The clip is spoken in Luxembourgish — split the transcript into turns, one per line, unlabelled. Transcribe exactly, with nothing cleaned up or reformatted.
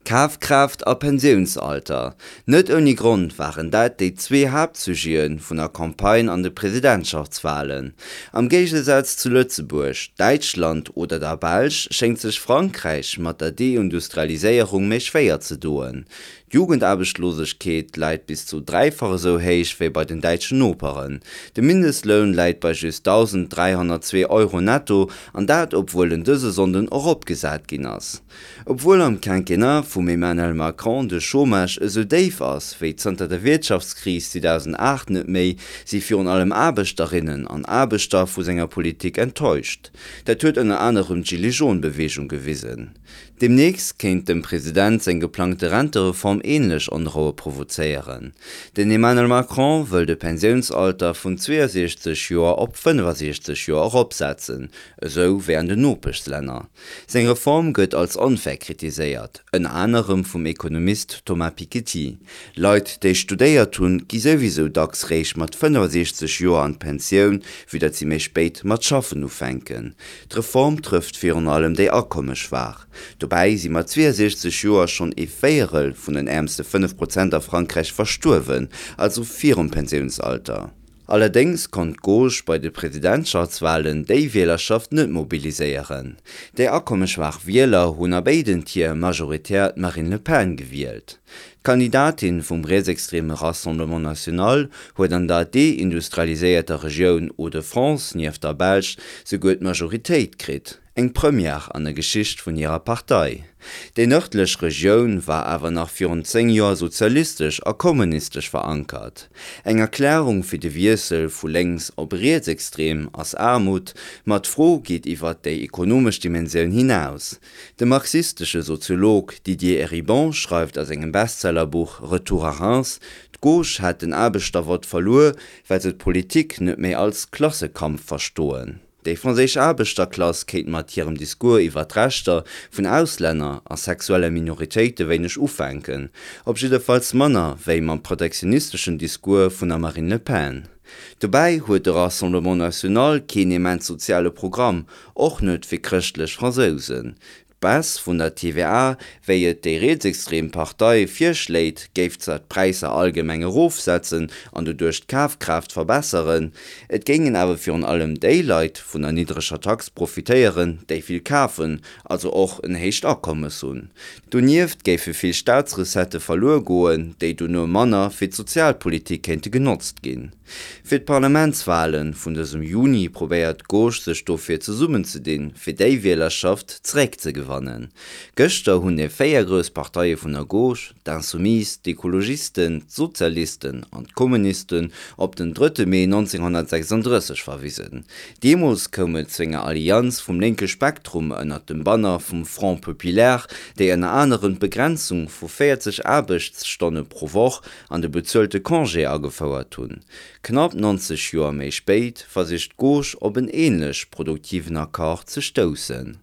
Kafkraaft a Pensiounsalter, net ouni Grond waren dat déi zwee Haaptsujete vun der Campagne an de Presidentschaftswalen. Am Géigesaz zu Lëtzebuerg, Däitschland oder der Belsch schéngt sech Frankräich mat der Deindustrialiséierung méi schwéier ze doen. D'Jugendaarbechtslosegkeet läit bis zu dräifach esou héich wéi bei den däitschen Noperen. De Mindestloun läit bei just dausend dräihonnertzwee Euro netto, an dat obwuel en dëse Sonnden eropgesat ginn ass. Obwuel am Quinquennat vum Emmanuel Macron de Chômage esou déif ass wéi zanter der Wirtschaftskris zweedausenaacht net méi, si virun allem Aarbechterinnen an Aarbechter vu senger Politik enttäuscht. Dat huet ënner anerem d'Gilets-jaunes-Beweegung gewisen. Deemnächst kéint dem President seng geplangte Rentereform änlech Onroue provozéieren. Den Emmanuel Macron wëll de Pensiounsalter vun zweeësiechzeg Joer op fënnefasiechzeg Joer eropsetzen, esou wéi an den Nopeschlänner. Seng Reform gëtt als onfair kritiséiert, ënner anerem vum Ekonomist Thomas Piketty. Leit, déi studéiert hunn, gi souwisou dacks réischt mat fënnefasiechzeg Joer an d'Pensioun, vue datt si méi spéit mat schaffen ufänken. D'Reform trëfft virun allem déi Akommesschwaach. Dobäi si mat zweeësiechzeg Joer schonn ee Véierel vun den äermste fënnef Prozent a Frankräich verstuerwen, also virum Pensiounsalter. Allerdéngs konnt d'Gauche bei de Presidentschaftswalen déi Wielerschaft net mobiliséieren. Déi akommesschwaach Wieler hunn a béiden Tier majoritär d'Marine Le Pen gewielt. D'Kandidatin vum rietsextreme Rassemblement National huet an der deindustrialiséierter Regioun Hauts-de-France nieft der Belsch souguer d'Majoritéit kritt, eng Première an der Geschicht vun hirer Partei. Déi nërdlech Regioun war awer nach virun zéng Joer sozialistesch a kommunistesch verankert. Eng Erklärung fir de Wiessel vu lénks op rietsextrem ass Aarmut, ma d'Fro geet iwwer déi ekonomesch Dimensioun hinaus. De marxistesche Soziolog Didier Eribon schreift a sengem Bestsellerbuch Retour à Reims, d'Gauche hätt den Aarbechtervott verluer, well se d'Politik net méi als Klassekampf verstoen. Déi franséisch Aarbechterklass kéint mat hirem Discours iwwer d'Rechter vun Auslänner a sexuelle Minoritéite wéineg ufänken, op jiddefalls manner wéi mam protektionisteschen Discours vun der Marine Le Pen. Dobäi huet de Rassemblement National keen immens soziale Programm, och net fir chrëschtlech Fransousen. D'Baisse vun der T V A, wéi et déi rietsextrem Partei virschléit, géif zwar d'Präisser allgemeng erofsetzen an doduerch d'Kafkraaft verbesseren, et géingen awer virun allem déi Leit vun der niddreger Tax profitéieren, déi vill kafen, also och en héicht Akommes hunn. Donieft géife vill Staatsrecettë verluer goen, déi dono manner fir d'Sozialpolitik kéinte genotzt ginn. Fir d'Parlamentswale vun dësem Juni probéiert d'Gauche sech dofir zesummenzedinn, fir déi Wielerschaft zeréckzegewannen. Gëschter hunn déi véier grouss Parteie vun der Gauche, d'Insoumis, d'Ekologisten, d'Sozialisten an d'Kommunisten, op den drëtte Mee nonzénghonnertsechsandrësseg verwisen. Deemools koum et zu enger Allianz vum lénke Spektrum ënner dem Banner vum Front populaire, déi ënner anerem d'Begrenzung vu véierzeg Aarbechtsstonne pro Woch an de bezuelte Congé agefouert hunn. Knapp nonzeg Joer méi spéit versicht d'Gauche op en änlech produktiven Accord ze stoussen.